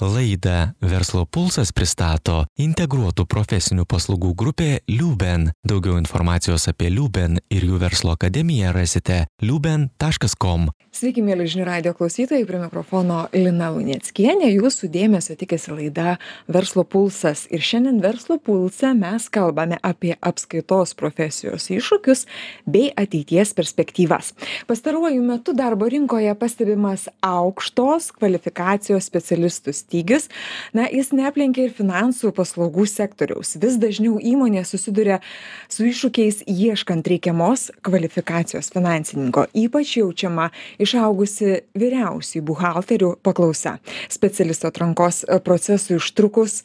Laidą Verslo pulsas pristato integruotų profesinių paslaugų grupė Liuben. Daugiau informacijos apie Liuben ir jų verslo akademiją rasite liuben.com. Sveiki, mėly žinių radijo klausytojai, prie mikrofono Lina Luneckienė. Jūsų dėmesio tikisi laida Verslo pulsas. Ir šiandien Verslo pulse mes kalbame apie apskaitos profesijos iššūkius bei ateities perspektyvas. Pastaruoju metu darbo rinkoje pastebimas aukštos kvalifikacijos specialistų stygius. Jis neaplenkia ir finansų paslaugų sektoriaus. Vis dažniau įmonė susiduria su iššūkiais ieškant reikiamos kvalifikacijos finansininko. Ypač jaučiama išaugusi vyriausių buhalterių paklausa. Specialisto atrankos procesui užtrukus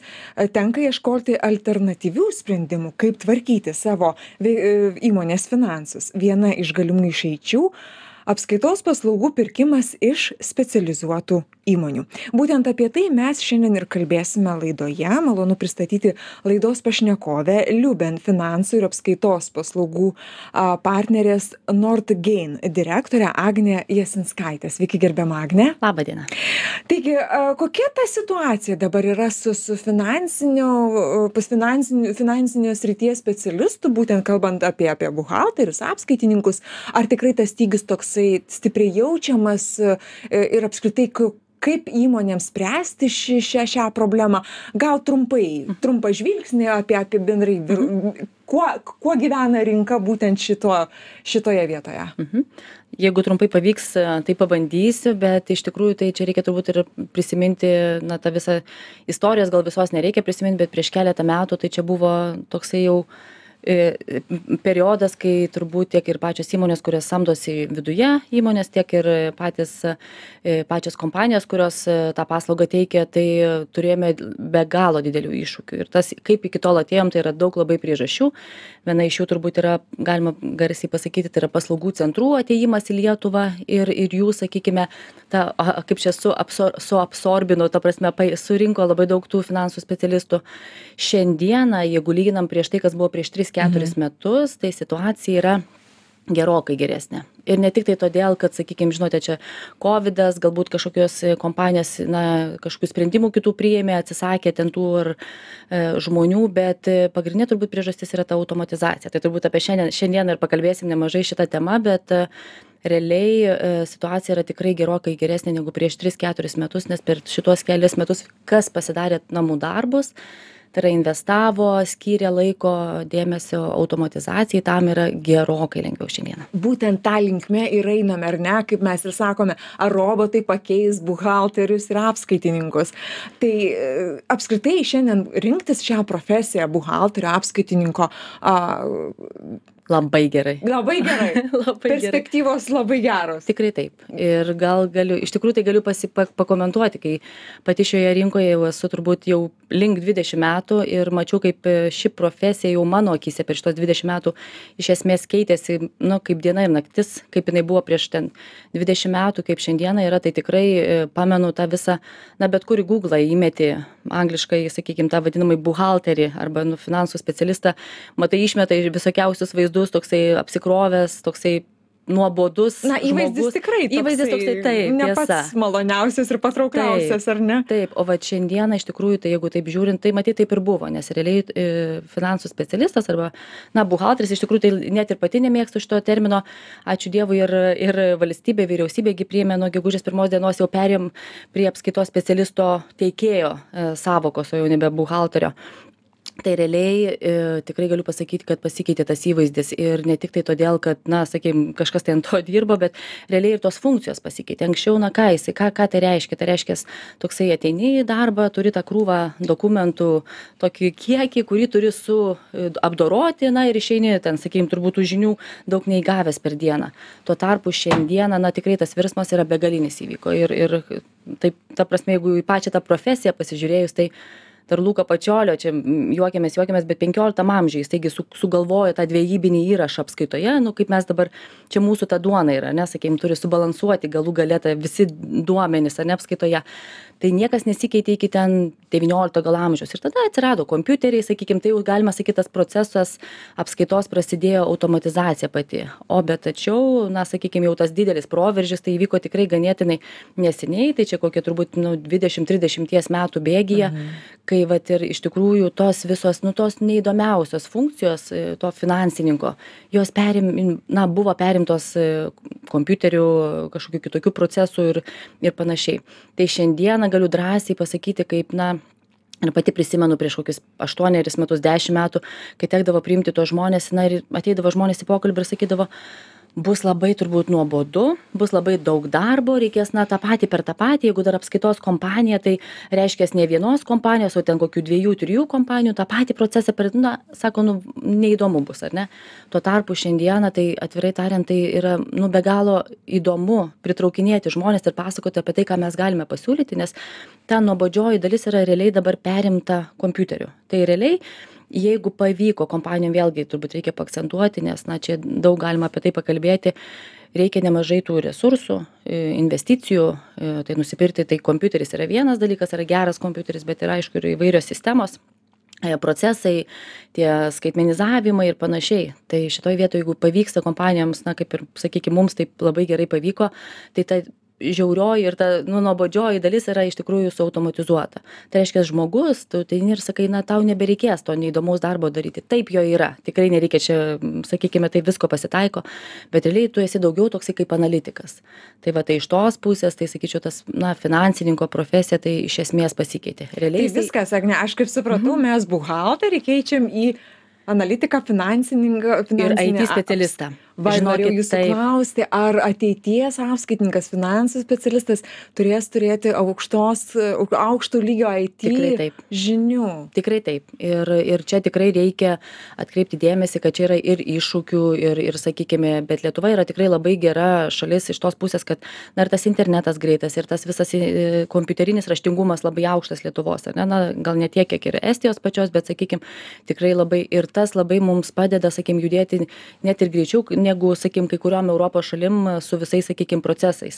tenka ieškoti alternatyvių sprendimų, kaip tvarkyti savo įmonės finansus. Viena iš galimų išeičių - apskaitos paslaugų pirkimas iš specializuotų įmonių. Būtent apie tai mes šiandien ir kalbėsime laidoje. Malonu pristatyti laidos pašnekovę Liuben finansų ir apskaitos paslaugų partnerės Nordgain direktorę Agnę Jasinskaitę. Sveiki, gerbiama Agne. Labą dieną. Taigi, kokia ta situacija dabar yra su finansinio srities specialistų, būtent kalbant apie buhalterius, apskaitininkus, ar tikrai tas stygis toksai stipriai jaučiamas ir apskritai kaip įmonėms spręsti šią problemą? Gal trumpą žvilgsnį apie bendrai, kuo gyvena rinka būtent šitoje vietoje? Jeigu trumpai pavyks, tai pabandysiu, bet iš tikrųjų tai čia reikia turbūt ir prisiminti, tą visą istorijos gal visos nereikia prisiminti, bet prieš keletą metų tai čia buvo toksai jau periodas, kai turbūt tiek ir pačios įmonės, kurios samdosi viduje įmonės, tiek ir pačios kompanijos, kurios tą paslaugą teikia, tai turėjome be galo didelių iššūkių. Ir tas, kaip iki tol atėjom, tai yra daug labai priežasčių. Viena iš jų turbūt yra, galima garsiai pasakyti, tai yra paslaugų centrų atėjimas į Lietuvą ir jų, sakykime, kaip čia suabsorbino, ta prasme, surinko labai daug tų finansų specialistų. Šiandieną, jeigu lyginam prieš tai, kas buvo prieš 3-4 metus, tai situacija yra gerokai geresnė. Ir ne tik tai todėl, kad, sakykime, žinote, čia COVIDas, galbūt kažkokios kompanijos, kažkokių sprendimų kitų priėmė, atsisakė ten tų žmonių, bet pagrindinė turbūt priežastis yra ta automatizacija. Tai turbūt apie šiandien ir pakalbėsim nemažai šitą temą, bet realiai situacija yra tikrai gerokai geresnė negu prieš 3-4 metus, nes per šitos kelias metus kas pasidarė namų darbus, tai yra investavo, skyrė laiko, dėmesio automatizacijai, tam yra gerokai lengviau šiandieną. Būtent tą linkmę ir einame, ar ne, kaip mes ir sakome, ar robotai pakeis buhalterius ir apskaitininkus. Tai apskritai šiandien rinktis šią profesiją buhalterio, apskaitininko Labai gerai. Labai gerai. Perspektyvos labai geros. Tikrai taip. Ir gal iš tikrųjų tai galiu pakomentuoti, kai pati šioje rinkoje jau esu turbūt jau link 20 metų ir mačiau, kaip ši profesija jau mano akyse per šitos 20 metų iš esmės keitėsi, kaip diena ir naktis, kaip jinai buvo prieš 20 metų, kaip šiandieną yra, tai tikrai pamenu tą visą, bet kur į Google įmeti angliškai, sakykime, tą vadinamai buhalterį arba finansų specialistą, matai išmeta visokiausius vaizdus, toksai apsikrovęs, toksai nuobodus įvaizdis tikrai toksai, įvaizdis toksai, taip, ne pats maloniausias ir patraukliausias, ar ne? Taip, o šiandieną iš tikrųjų, tai jeigu taip žiūrint, tai matyt taip ir buvo, nes realiai finansų specialistas arba, buhalteris, iš tikrųjų tai net ir pati nemėgstu šito termino, ačiū Dievui ir valstybė, vyriausybėgi priėmė nuo gegužės 1 dienos jau perėjom prie apskaitos specialisto teikėjo sąvokos, o jau nebe buhalterio. Tai realiai tikrai galiu pasakyti, kad pasikeitė tas įvaizdis ir ne tik tai todėl, kad, sakykime, kažkas tai ant to dirbo, bet realiai ir tos funkcijos pasikeitė. Anksčiau, ką tai reiškia? Tai reiškia, toksai ateini į darbą, turi tą krūvą dokumentų, tokį kiekį, kurį turi apdoroti, ir išeini ten, sakykime, turbūt tų žinių daug neįgavęs per dieną. Tuo tarpu šiandieną, tikrai tas virsmas yra begalinis įvyko ir taip, ta prasme, jeigu į pačią tą profesiją pasižiūrėjus, tai dar Luko Pačiolio, čia juokiamės, bet 15 amžiuje jis taigi sugalvojo tą dvejybinį įrašą apskaitoje, nu kaip mes dabar, čia mūsų ta duona yra, sakykime, turi subalansuoti galų galėtą visi duomenys, apskaitoje. Tai niekas nesikeitė iki ten 19 gal amžiaus. Ir tada atsirado kompiuteriai, sakykime, tai jau galima sakyti, tas procesas apskaitos prasidėjo automatizacija pati. O bet tačiau, sakykime, jau tas didelis proveržis, tai įvyko tikrai ganėtinai neseniai, tai čia kokie turbūt 20-30 metų bėgyje, kai vat ir iš tikrųjų tos visos, tos neįdomiausios funkcijos to finansininko, jos buvo perimtos kompiuterių, kažkokių kitokių procesų ir panašiai. Tai šiandieną galiu drąsiai pasakyti, kaip, ir pati prisimenu prieš kokius 8 metus, 10 metų, kai tekdavo priimti tos žmonės, ir ateidavo žmonės į pokalbį ir sakydavo, bus labai turbūt nuobodu, bus labai daug darbo, reikės tą patį per tą patį, jeigu dar apskaitos kompanija, tai reiškia ne vienos kompanijos, o ten kokių 2-3 kompanijų, tą patį procesą per, sako, neįdomu bus, ar ne? Tuo tarpu šiandieną, tai atvirai tariant, tai yra, be galo įdomu pritraukinėti žmonės ir pasakoti apie tai, ką mes galime pasiūlyti, nes ta nuobodžioji dalis yra realiai dabar perimta kompiuteriu. Tai realiai, jeigu pavyko kompanijom, vėlgi turbūt reikia paakcentuoti, nes čia daug galima apie tai pakalbėti, reikia nemažai tų resursų, investicijų, tai nusipirkti, tai kompiuteris yra vienas dalykas, yra geras kompiuteris, bet yra aišku ir įvairios sistemos, procesai, tie skaitmenizavimai ir panašiai. Tai šitoj vietoje, jeigu pavyksta kompanijoms, kaip ir, sakykime, mums taip labai gerai pavyko, tai ta žiaurioji ir ta nuobodžioji dalis yra iš tikrųjų suautomatizuota. Tai reiškia, žmogus, tu tai ir sakai, tau nebereikės to neįdomaus darbo daryti. Taip jo yra. Tikrai nereikia čia, sakykime, tai visko pasitaiko, bet realiai tu esi daugiau toksai kaip analitikas. Tai tai iš tos pusės, tai sakyčiau, tas, finansininko profesija, tai iš esmės pasikeitė. Realiai tai viskas, Agne, aš kaip supratau, mes buhalterį keičiam į analitiką, finansininką ir IT specialistą. Norėjau jūsų klausti, ar ateities apskaitininkas, finansų specialistas turės turėti aukšto lygio IT žinių? Tikrai taip. Ir čia tikrai reikia atkreipti dėmesį, kad čia yra ir iššūkių, ir sakykime, bet Lietuva yra tikrai labai gera šalis iš tos pusės, kad ir tas internetas greitas, ir tas visas kompiuterinis raštingumas labai aukštas Lietuvos. Gal ne tiek, kiek ir Estijos pačios, bet sakykime, tikrai labai ir tas labai mums padeda, sakykime, judėti net ir greičiau, negu, sakykim, kai kuriuom Europos šalim su visais, sakykim, procesais.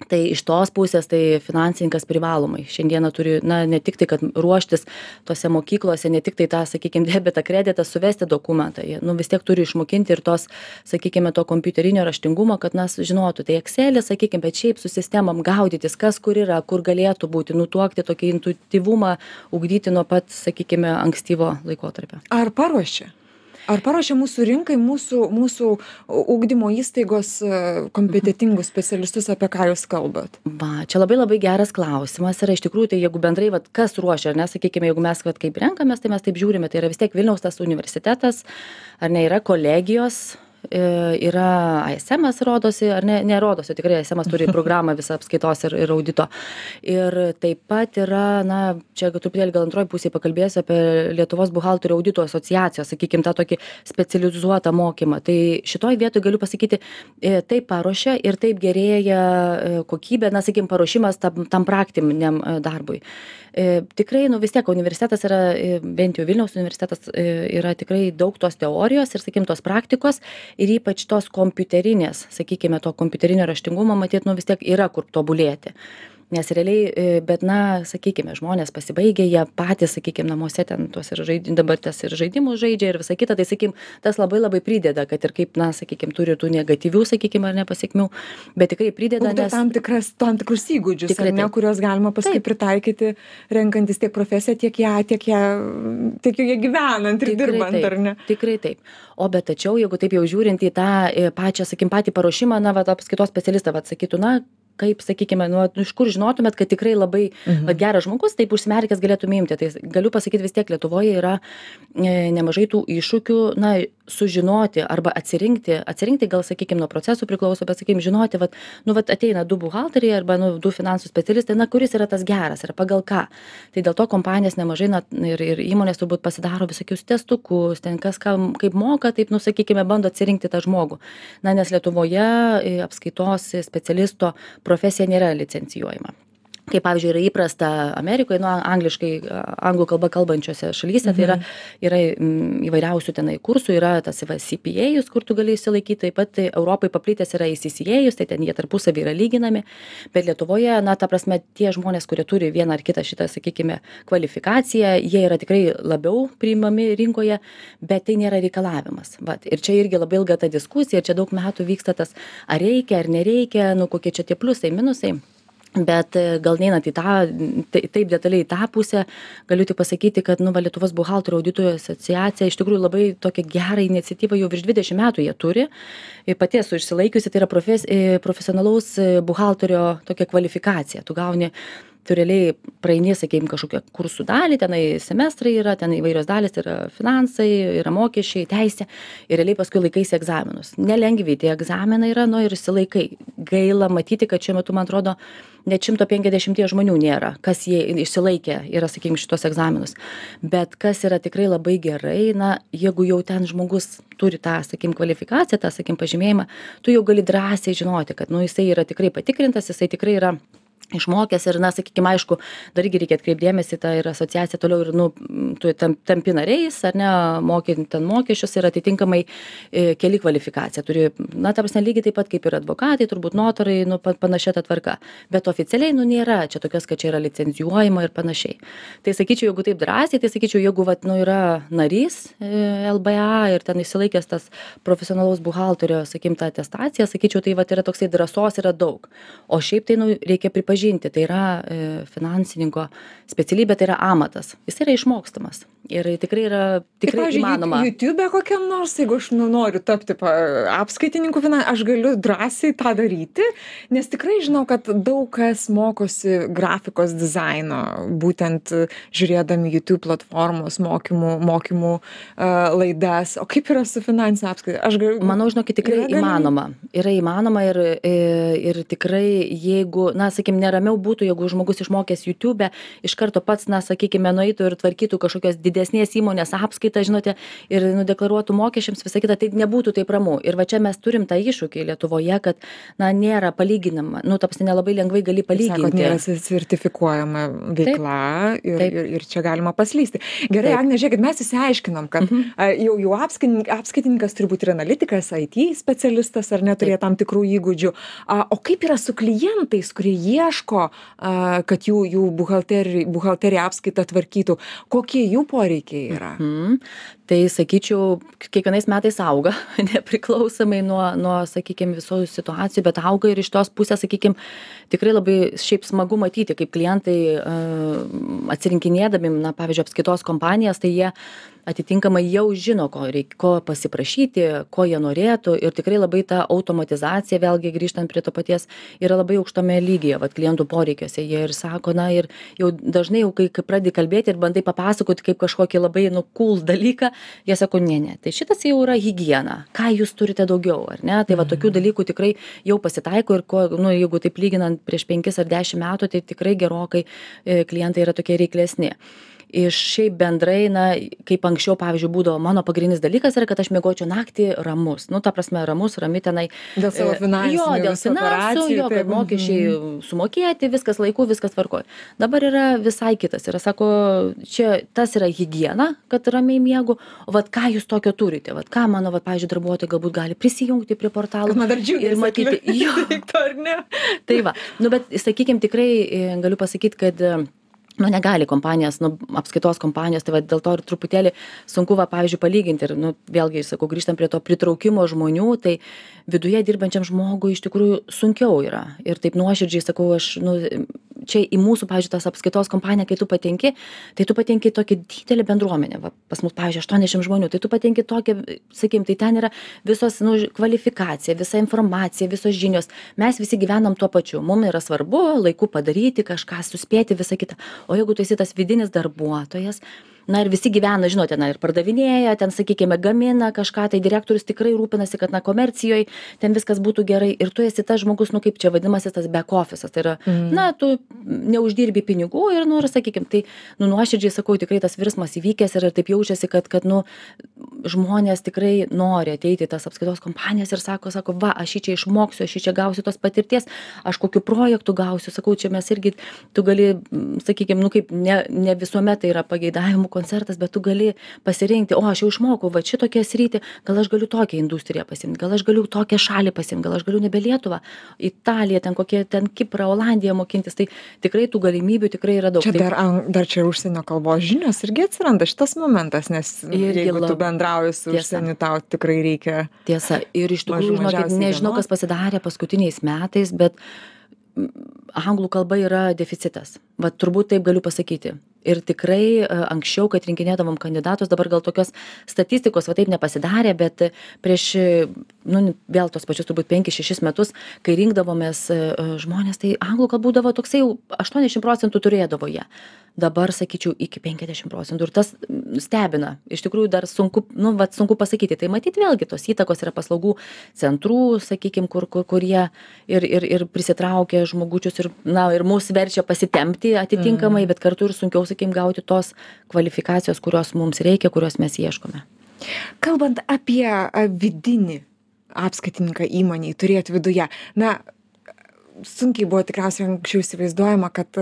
Tai iš tos pusės, tai finansininkas privalomai. Šiandieną turi, ne tik tai, kad ruoštis tose mokyklose, ne tik tai tą, sakykime, debetą, kreditą, suvesti dokumentą. Vis tiek turi išmokinti ir tos, sakykime, to kompiuterinio raštingumo, kad žinotų. Tai Excel'e, sakykime, bet šiaip su sistemom gaudytis, kas kur yra, kur galėtų būti, nutuokti tokį intuityvumą, ugdyti nuo pat, sakykime, ankstyvo laikotarpio. Ar paruošia mūsų rinkai, mūsų ugdymo įstaigos kompetentingus specialistus, apie ką jūs kalbat? Čia labai geras klausimas yra iš tikrųjų, tai jeigu bendrai, kas ruošia, sakykime, jeigu mes kaip renkamės, tai mes taip žiūrime, tai yra vis tiek Vilniaus tas universitetas, ar ne, yra kolegijos, yra ASM-as rodosi, ar nerodosi, tikrai ASM-as turi programą visą apskaitos ir audito. Ir taip pat yra, čia truputėlį gal antroji pusėje pakalbėsiu apie Lietuvos buhalterių audito asociacijos, sakykime, tą tokį specializuotą mokymą. Tai šitoj vietoj galiu pasakyti, taip paruošia ir taip gerėja kokybė, sakykime, paruošimas tam praktiniam darbui. Tikrai, vis tiek universitetas yra, bent jau Vilniaus universitetas yra tikrai daug tos teorijos ir, sakykime, tos praktikos ir ypač tos kompiuterinės, sakykime, to kompiuterinio raštingumo, matyt, vis tiek yra kur tobulėti. Nes realiai, bet sakykime, žmonės pasibaigė, jie patys, sakykime, namuose ten tuos dabar tas ir žaidimus žaidžia ir visą kitą, tai, sakykime, tas labai prideda, kad ir kaip, sakykime, turi tų negatyvių, sakykime, ar nepasiekmių, bet tikrai prideda. Ugdo tam tikrus įgūdžius, kuriuos galima paskui pritaikyti, renkantis tiek profesiją, tiek joje gyvenant ir dirbant, ar ne? Tikrai taip. O bet tačiau, jeigu taip jau žiūrint į tą pačią, sakykime, patį paruošimą, apskaitos specialistą, sakytų, kaip, sakykime, iš kur žinotumėt, kad tikrai labai geras žmogus, taip užsimerkęs galėtume imti. Tai galiu pasakyti, vis tiek Lietuvoje yra nemažai tų iššūkių, sužinoti arba atsirinkti gal, sakykime, nuo procesų priklauso, bet, sakykime, žinoti, ateina 2 buhalteriai arba 2 finansų specialistai, kuris yra tas geras ir pagal ką. Tai dėl to kompanijas nemažai ir įmonės turbūt pasidaro visokius testukus, ten kas kaip moka, taip, sakykime, bando atsirinkti tą žmogų. Nes Lietuvoje apskaitos specialisto profesija nėra licencijuojama. kaip pavyzdžiui yra įprasta Amerikoje, angliškai, anglų kalba kalbančiose šalyse, tai yra įvairiausių tenai kursų, yra tas CPA, kur tu gali išsilaikyti, taip pat Europai paplitęs yra ACCA, tai ten jie tarpusavį yra lyginami, bet Lietuvoje, na, ta prasme, tie žmonės, kurie turi vieną ar kitą šitą, sakykime, kvalifikaciją, jie yra tikrai labiau priimami rinkoje, bet tai nėra reikalavimas. Vat. Ir čia irgi labai ilga ta diskusija, čia daug metų vyksta tas, ar reikia, ar nereikia, nu, kokie čia tie pliusai, minusai. Bet gal neinant į tą, taip detaliai į tą pusę, galiu tik pasakyti, kad Lietuvos buhalterių auditojų asociacija iš tikrųjų labai tokią gerą iniciatyvą jau virš 20 metų jie turi. Pati esu išsilaikiusi, tai yra profesionalaus buhalterio tokia kvalifikacija. Tu gauni, tu realiai praeini, sakykime, kažkokią kursų dalį, tenai semestrai yra, ten įvairios dalys, tai yra finansai, yra mokesčiai, teisė ir realiai paskui laikaisi egzaminus. Nelengvi tie egzaminai yra, ir išsilaikai. Gaila matyti, kad šiuo metu, man atrodo, net 150 žmonių nėra, kas jie išsilaikė, yra, sakykime, šitos egzaminus. Bet kas yra tikrai labai gerai, jeigu jau ten žmogus turi tą, sakykime, kvalifikaciją, tą, sakykime, pažymėjimą, tu jau gali drąsiai žinoti, kad, jisai yra tikrai patikrintas, jisai tikrai yra išmokęs ir, sakykime, aišku, dar irgi reikia atkreipdėmėsi, tai ir asociacija toliau ir, tu tampi nariais, ar ne, mokint ten mokesčius ir atitinkamai keli kvalifikaciją. Turi, ta prasme, lygiai taip pat kaip ir advokatai, turbūt notarai, panašia ta tvarka. Bet oficialiai, nėra čia tokios, kad čia yra licencijuojama ir panašiai. Tai sakyčiau, jeigu taip drąsiai, tai sakyčiau, jeigu, yra narys LBA ir ten išsilaikęs tas profesionalaus buhalterio, sakykime, tą atestaciją, sakyčiau, tai yra toksai drąsos yra daug. O šiaip tai, reikia pripažinti, tai yra finansininko specialybė, tai yra amatas. Jis yra išmokstamas. Ir tikrai yra įmanoma. YouTube kokiam nors, jeigu aš noriu tapti apskaitininku, aš galiu drąsiai tą daryti, nes tikrai žinau, kad daug kas mokosi grafikos dizaino, būtent žiūrėdami YouTube platformos mokymų laidas. O kaip yra su finansinė apskaita? Manau, žinokit, tikrai įmanoma. Yra įmanoma ir tikrai, jeigu, sakykime, neramiau būtų, jeigu žmogus išmokęs YouTube, iš karto pats, sakykime, nueitų ir tvarkytų kažkokios didesnės įmonės apskaitą, žinote, ir nudeklaruotų mokesčiams visą kitą, tai nebūtų taip ramu. Ir va čia mes turim tą iššūkį Lietuvoje, kad, nėra palyginama. Ta prasme, nelabai lengvai gali palyginti. Sakot, nėra sertifikuojama veikla ir čia galima paslysti. Gerai, Agne, žiūrėkit, mes įsiaiškinom, kad jau apskaitininkas turi būti ir analitikas, IT specialistas, ar neturėjo tam tikrų įgūdžių. O kaip yra su klientais, kurie ieško, kad jų buhalterija apskaitą tvarkytų? Kokie jų poreikiai yra? Tai, sakyčiau, kiekvienais metais auga, nepriklausomai nuo sakykime, visų situacijų, bet auga ir iš tos pusės, sakykime, tikrai labai šiaip smagu matyti, kaip klientai atsirinkinėdami, pavyzdžiui, apskaitos kompanijas, tai jie atitinkamai jau žino, ko pasiprašyti, ko jie norėtų ir tikrai labai ta automatizacija, vėlgi grįžtant prie to paties, yra labai aukštame lygyje, klientų poreikiuose. Jie ir sako, ir jau dažnai, kai pradedi kalbėti ir bandai papasakoti kaip kažkokį labai cool dalyką, jie sako, ne, tai šitas jau yra higiena, ką jūs turite daugiau, ar ne? Tai tokių dalykų tikrai jau pasitaiko ir jeigu taip lyginant prieš 5 ar 10 metų, tai tikrai gerokai klientai yra tokie reiklesni. Iš šiaip bendrai, kaip anksčiau, pavyzdžiui, būdavo mano pagrindinis dalykas yra, kad aš miegočiau naktį ramus. Ta prasme, rami tenai. Dėl savo finansų. Dėl finansų, kad mokesčiai sumokėti, viskas laiku, viskas tvarkoja. Dabar yra visai kitas. Yra, sako, čia tas yra higiena, kad ramiai miegu. O ką jūs tokio turite? Ką mano, pavyzdžiui, darbuotojai galbūt gali prisijungti prie portalų. Man dar džiugiai matyti. Ar ne? Tai va. Bet, sakykime, tikrai galiu pasakyti, kad negali kompanijas, apskaitos kompanijos, tai dėl to ir truputėlį sunku, pavyzdžiui, palyginti. Ir, vėlgi, sakau, grįžtam prie to pritraukimo žmonių, tai viduje dirbančiam žmogui iš tikrųjų sunkiau yra. Ir taip nuoširdžiai sakau, aš, čia į mūsų, pavyzdžiui, tas apskaitos kompaniją, kai tu patenki, tai tu patenki tokią didelę bendruomenę. Pas mus, pavyzdžiui, 80 žmonių, tai tu patenki tokią, sakykime, tai ten yra visos kvalifikacija, visa informacija, visos žinios. Mes visi gyvenam tuo pačiu. Mums yra svarbu laiku padaryti, kažką suspėti, visą kitą. O jeigu tu esi tas vidinis darbuotojas, ir visi gyvena, žinote, ir pardavinėja, ten, sakykime, gamina kažką, tai direktorius tikrai rūpinasi, kad, komercijoje ten viskas būtų gerai ir tu esi tas žmogus, kaip čia vadinamasis tas back office'as, tai yra, tu neuždirbi pinigų ir, sakykime, tai, nuoširdžiai sakau, tikrai tas virsmas įvykęs ir taip jaučiasi, kad, žmonės tikrai nori ateiti į tas apskaitos kompanijas ir sako, va, aš čia išmoksiu, aš čia gausiu tos patirties, aš kokiu projektu gausiu, sakau, čia mes irgi, tu gali, sakykime, kaip ne visuomet tai yra pageidavimų koncertas, bet tu gali pasirinkti, aš jau išmokau, va šitokią sritį, gal aš galiu tokią industriją pasimti, gal aš galiu tokią šalį pasimti, gal aš galiu nebe Lietuvą, Italiją, ten Kiprą, Olandiją mokintis, tai tikrai tų galimybių tikrai yra daug. Čia dar čia užsienio kalbos žinios irgi atsiranda šitas momentas, nes jeigu tu bendrauji su užsieniu, tau tikrai reikia. Tiesa, ir iš tikrųjų, žinokit, nežinau, kas pasidarė paskutiniais metais, bet anglų kalba yra deficitas. Va, turbūt taip galiu pasakyti. Ir tikrai anksčiau, kad rinkinėdavom kandidatus, dabar gal tokios statistikos va taip nepasidarė, bet prieš, vėl tos pačius turbūt 5-6 metus, kai rinkdavomės žmonės, tai anglų kalba būdavo toksai jau 80% turėdavo jie. Dabar, sakyčiau, iki 50%. Ir tas stebina. Iš tikrųjų, dar sunku pasakyti. Tai matyti vėlgi tos įtakos yra paslaugų centrų, sakykime, kur jie ir prisitraukia žmogučius ir mus verčia pasitempti atitinkamai, bet kartu ir sunkiau, sakykime, gauti tos kvalifikacijos, kurios mums reikia, kurios mes ieškome. Kalbant apie vidinį apskaitininką įmonėj, turėti viduje, sunkiai buvo tikriausiai anksčiau įsivaizduojama, kad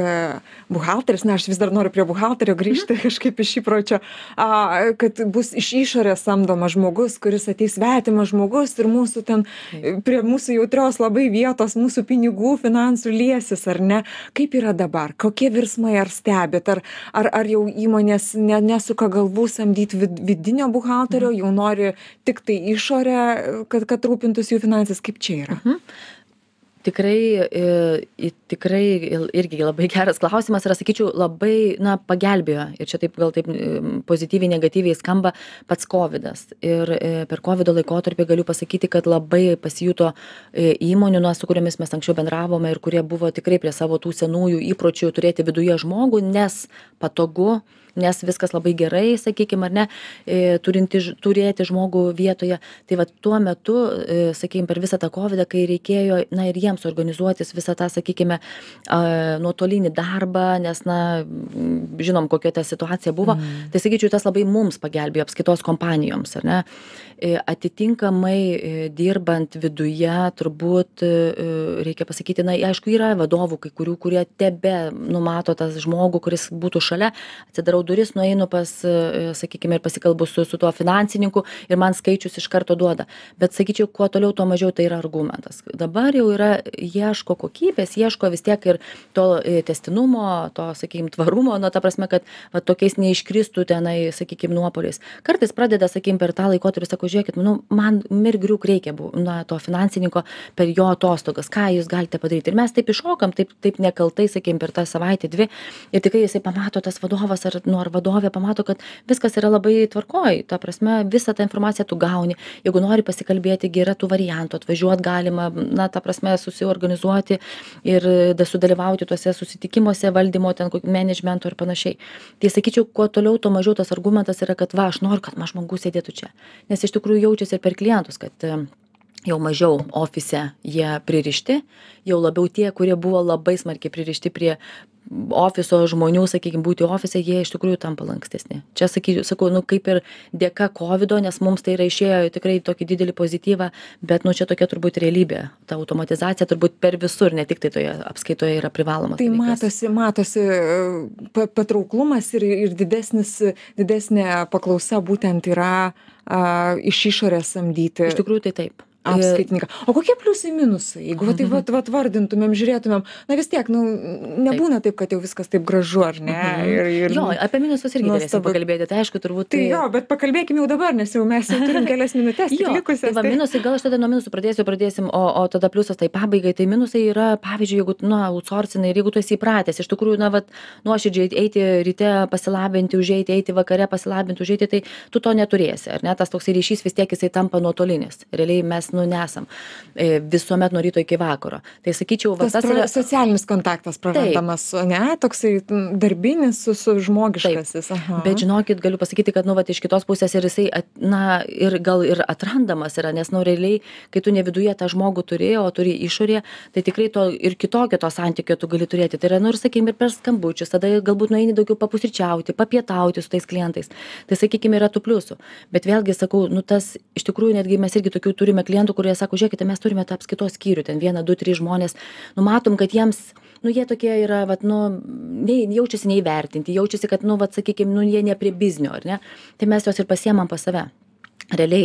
buhalteris, aš vis dar noriu prie buhalterio grįžti kažkaip iš įpročio, kad bus iš išorės samdomas žmogus, kuris ateis svetimas žmogus ir mūsų ten prie mūsų jautrios labai vietos, mūsų pinigų, finansų liesis, ar ne? Kaip yra dabar? Kokie virsmai ar stebit? Ar jau įmonės nesuka galvų samdyti vidinio buhalterio, jau nori tik tai išorę, kad rūpintųsi jų finansais? Kaip čia yra? Tikrai irgi labai geras klausimas ir, sakyčiau, labai, pagelbėjo. Ir čia taip gal taip pozityviai, negatyviai skamba pats COVIDas. Ir per COVIDo laikotarpį galiu pasakyti, kad labai pasijuto įmonių, su kuriomis mes anksčiau bendravome ir kurie buvo tikrai prie savo tų senųjų įpročių turėti viduje žmogų, nes patogu, nes viskas labai gerai, sakykime, ar ne, turėti žmogų vietoje. Tai va tuo metu, sakykime, per visą tą COVIDą, kai reikėjo, ir jiems organizuotis visą tą, sakykime, nuotolinį darbą, nes, žinom, kokia ta situacija buvo, tai, sakyčiau, tas labai mums pagelbėjo apskaitos kompanijoms, ar ne. Atitinkamai dirbant viduje, turbūt reikia pasakyti, aišku, yra vadovų, kai kurių, kurie numato tas žmogų, kuris būtų šalia, atsidarau duris, nueinu pas, sakykime, ir pasikalbu su tuo finansininku ir man skaičius iš karto duoda. Bet, sakyčiau, kuo toliau, tuo mažiau tai yra argumentas. Dabar jau yra, ieško kokybės, ieško vis tiek ir to tęstinumo, to, sakykime, tvarumo, ta prasme, kad tokiais neiškristų tenai, sakykime, nuopoliais. Kartais pradeda, sakykime, per tą laikotarpį, sako, žiūrėkit, man mirgriuk reikia to finansininko per jo atostogas, ką jūs galite padaryti. Ir mes taip iššokam, taip nekaltai, sakykime, per tą savaitę, 2, ir tikrai jisai pamato, tas vadovas ar vadovė pamato, kad viskas yra labai tvarkoj. Ta prasme, visą tą informaciją tu gauni. Jeigu nori pasikalbėti, yra tų variantų, atvažiuoti galima, ta prasme, susiorganizuoti ir sudalyvauti tuose susitikimuose valdymo, ten managemento ir panašiai. Tai sakyčiau, kuo toliau, tuo mažiau tas argumentas yra, kad aš noriu, kad žmogus sėdėtų čia. Nes iš tikrųjų jaučiasi ir per klientus, kad jau mažiau ofise jie pririšti, jau labiau tie, kurie buvo labai smarkiai pririšti prie ofiso žmonių, sakykime, būti ofise, jie iš tikrųjų tampa lankstesni. Čia, sakau, kaip ir dėka COVIDo, nes mums tai yra išėjo tikrai tokį didelį pozityvą, bet, čia tokia turbūt realybė. Ta automatizacija turbūt per visur, ne tik tai toje apskaitoje yra privalomas. Tai matosi patrauklumas ir didesnė paklausa būtent yra iš išorės samdyti. Iš tikrųjų tai taip. Apskaitininką. O kokie pliusai minusai? Jeigu taip vardintumėm, žiūrėtumėm, vis tiek, nebūna taip, kad jau viskas taip gražu, ar ne? Jo, apie minusus irgi galėsim pakalbėti, tai aišku, turbūt. Tai jo, bet pakalbėkime jau dabar, nes jau mes turim kelias minutės likusias. Tai minusai, gal aš tada nuo minusų pradėsim, o tada pliusas tai pabaigai. Tai minusai yra, pavyzdžiui, jeigu, outsourcinai, ir jeigu tu esi įpratęs, iš tikrųjų, nuoširdžiai eiti ryte pasilabinti, eiti vakare pasilabinti, tai tu to neturėsi, ar ne? Tas toksai ryšys vis tiek jisai tampa nuotolinis. Realiai mes nu, nesam visuomet nuo ryto iki vakaro. Tai sakyčiau, va, tas yra... Socialinis kontaktas prarandamas, ne, toksai darbinis su žmogiškasis. Bet žinokit, galiu pasakyti, kad, nu, va, iš kitos pusės ir jisai, ir gal ir atrandamas yra, nes, nu, realiai, kai tu ne viduje tą žmogų turi, o turi išorėje, tai tikrai to ir kitokio to santykio tu gali turėti. Tai yra, nu, ir sakykime, ir per skambučius, tada galbūt nueini daugiau papusryčiauti, papietauti su tais klientais. Tai, sakykime, yra tų pliusų. Bet vėlgi, sakau, nu, tas, iš tikrųjų, netgi mes irgi tokių turime klientų, kurie sako, žiūrėkite, mes turime tą apskaitos skyrių, ten 1, 2, 3 žmonės, nu, matom, kad jiems, nu, jie tokie yra, vat, nu, jaučiasi neįvertinti, jaučiasi, kad, nu, vat, sakykime, nu, jie ne prie biznio, ar ne? Tai mes juos ir pasiemam pas save. Realiai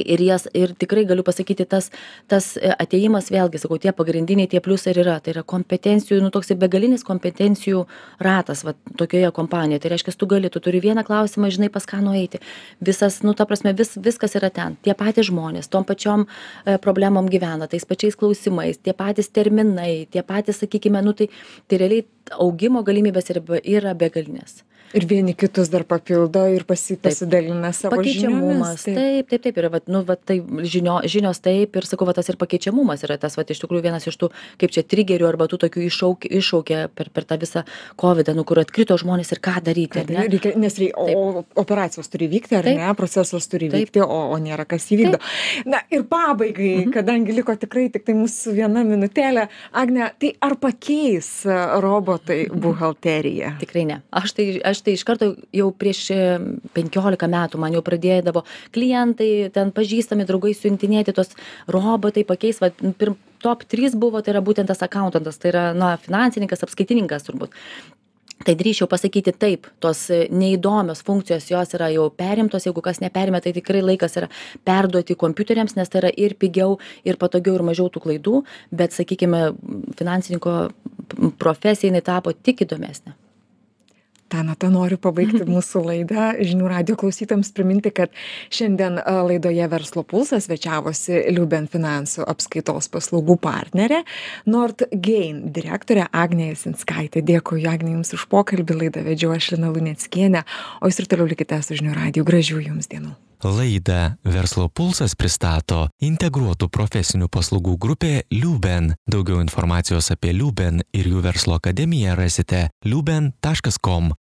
ir tikrai galiu pasakyti, tas atėjimas, vėlgi, sakau, tie pagrindiniai, tie pliusai ir yra. Tai yra kompetencijų, nu, toks begalinis kompetencijų ratas, va, tokioje kompanijoje. Tai reiškia, tu turi vieną klausimą, žinai, pas ką nueiti. Visas, nu, ta prasme, viskas yra ten. Tie patys žmonės, tom pačiom problemom gyvena, tais pačiais klausimais, tie patys terminai, tie patys, sakykime, nu, tai realiai augimo galimybės yra begalinės. Ir vieni kitus dar papildo ir pasidalina savo pakeičiamumas. Žiniomis. Taip. Ir, nu, tai žinios taip, ir sakau, tas ir pakeičiamumas yra tas, iš tikrųjų, vienas iš tų, kaip čia, trigerių arba tų tokių iššaukė per tą visą COVID, nu, kur atkrito žmonės ir ką daryti. Nes operacijos turi vykti, ar ne, procesas turi vykti, o nėra kas įvykdo. Na ir pabaigai, kadangi liko tikrai tik tai mūsų 1 minutėlė, Agne, tai ar pakeis robotai buhalteriją? Tikrai ne. Aš tai iš karto jau prieš 15 metų man jau pradėdavo klientai, ten pažįstami draugai siuntinėti tos robotai pakeis, va, top 3 buvo, tai yra būtent tas accountantas, tai yra, na, finansininkas, apskaitininkas turbūt. Tai drįsčiau pasakyti taip, tos neįdomios funkcijos jos yra jau perimtos, jeigu kas neperėmė, tai tikrai laikas yra perduoti kompiuteriams, nes tai yra ir pigiau, ir patogiau, ir mažiau tų klaidų, bet, sakykime, finansininko profesija jinai tapo tik įdomesnė. Tanata, noriu pabaigti mūsų laidą. Žinių radijo klausytojams priminti, kad šiandien laidoje Verslo pulsas svečiavosi Liuben finansų apskaitos paslaugų partnerė, Nordgain direktorė Agnė Jasinskaitė. Dėkui, Agnė, jums už pokalbį. Laidą vedžiau aš, Lina Luneckienė, o jūs ir toliau likite su Žinių radiju. Gražių jums dienų. Laidą Verslo pulsas pristato integruotų profesinių paslaugų grupė Liuben. Daugiau informacijos apie Liuben ir jų verslo akademiją rasite liuben.com.